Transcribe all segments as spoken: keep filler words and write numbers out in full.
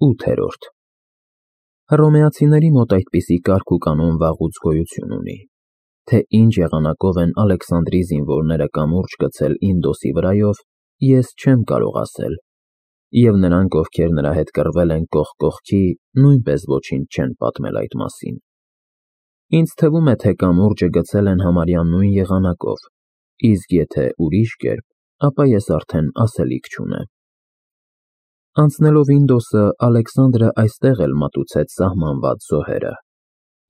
ութ Հռոմեացիների մոտ այդպիսի կարգ ու կանոն վաղուց գոյություն ունի, թե ինչ եղանակով են Ալեքսանդրի զինվորները կամուրջ գցել Ինդոսի վրայով, ես չեմ կարող ասել, և նրանք, ովքեր նրա հետ կռվել են կողք կողքի, նույնպես ոչինչ չեն պատմել այդ մասին։ Ինձ թվում է, թե կամուրջը գցել են համարյա նույն եղանակով, իսկ եթե ուրիշ կերպ, ապա ես արդեն ասելիք չունեմ։ Անցնելով Ինդոսը, Ալեքսանդրը այստեղ էլ մատուցեց սահմանված զոհերը։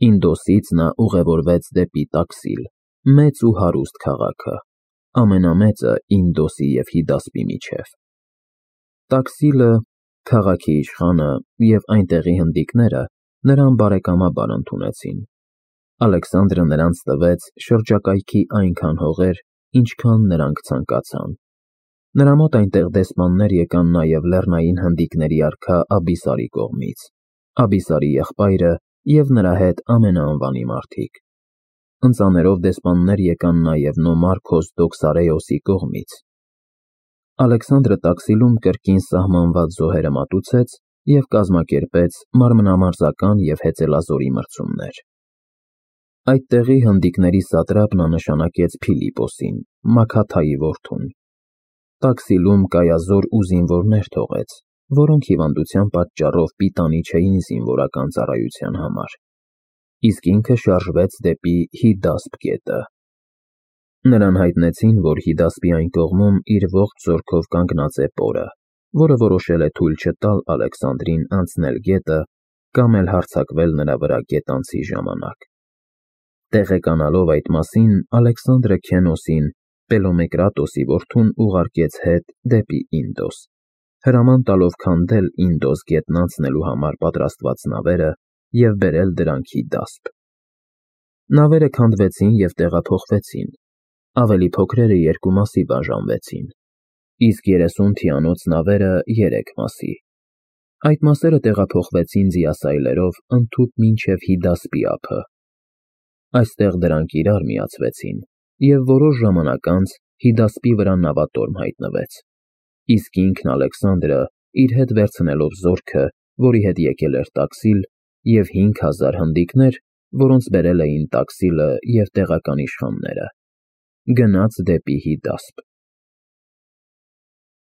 Ինդոսից նա ուղևորվեց դեպի Տաքսիլ, մեծ ու հարուստ քաղաքը, ամենամեծը Ինդոսի և Հիդասպի միջև։ Տաքսիլը, քաղաքի իշխանը և այնտեղի հնդիկները նրան բարեկամաբար ընդունեցին։ Ալեքսանդրը նրանց տվեց շրջակայքի այնքան հողեր, ինչքան նրանք ցանկացան։ Նրա մոտ այնտեղ դեսպաններ եկան նաև լեռնային հնդիկների արքա Աբիսարի կողմից, Աբիսարի եղբայրը և նրա հետ ամենաանվանի մարդիկ։ Ընծաներով դեսպաններ եկան նաև Նոմարքոս Դոքսարեոսի կողմից։ Ալեքսանդրը Տաքսիլում կրկին սահմանված զոհերը մատուցեց և կազմակերպեց մարմնամարզական և հեծելազորի մրցումներ։ Այդտեղի հնդիկների սատրապն անշանակեց Փիլիպոսին, Մաքաթայի որդուն։ Տաքսիլում կայազոր ու զինվորներ թողեց, որոնք հիվանդության պատճառով պիտանի չէին զինվորական ծառայության համար, իսկ ինքը շարժվեց դեպի Հիդասպ գետը։ Նրան հայտնեցին, որ Հիդասպի այն կողմում իր ողջ զորքով կանգնած է Պորը, որը որոշել է թույլ չտալ Ալեքսանդրին անցնել գետը կամ էլ հարձակվել նրա վրա գետանցի ժամանակ։ Տեղեկանալով այդ մասին, Ալեքսանդրը Քենոսին, Պելոմեկրատոսի որդուն, ուղարկեց հետ դեպի Ինդոս, հրաման տալով քանդել Ինդոս գետն անցնելու համար պատրաստված նավերը և բերել դրանք Հիդասպ։ Նավերը քանդվեցին և տեղափոխվեցին, ավելի փոքրերը երկու մասի բաժանվեցին, իսկ երեսուն թիանոց նավերը երեք մասի։ Այդ մասերը տեղափոխվեցին ձիասայլերով ընդհուպ մինչև Հիդասպի ափը։ Այստեղ դրանք իրար միացվեցին, և որոշ ժամանակ անց Հիդասպի վրա նավատորմ հայտնվեց, իսկ ինքն Ալեքսանդրը իր հետ վերցնելով զորքը, որի հետ եկել էր Տաքսիլ, և հինգ հազար հնդիկներ, որոնց բերել էին Տաքսիլը և տեղական իշխանները, գնաց դեպի Հիդասպ։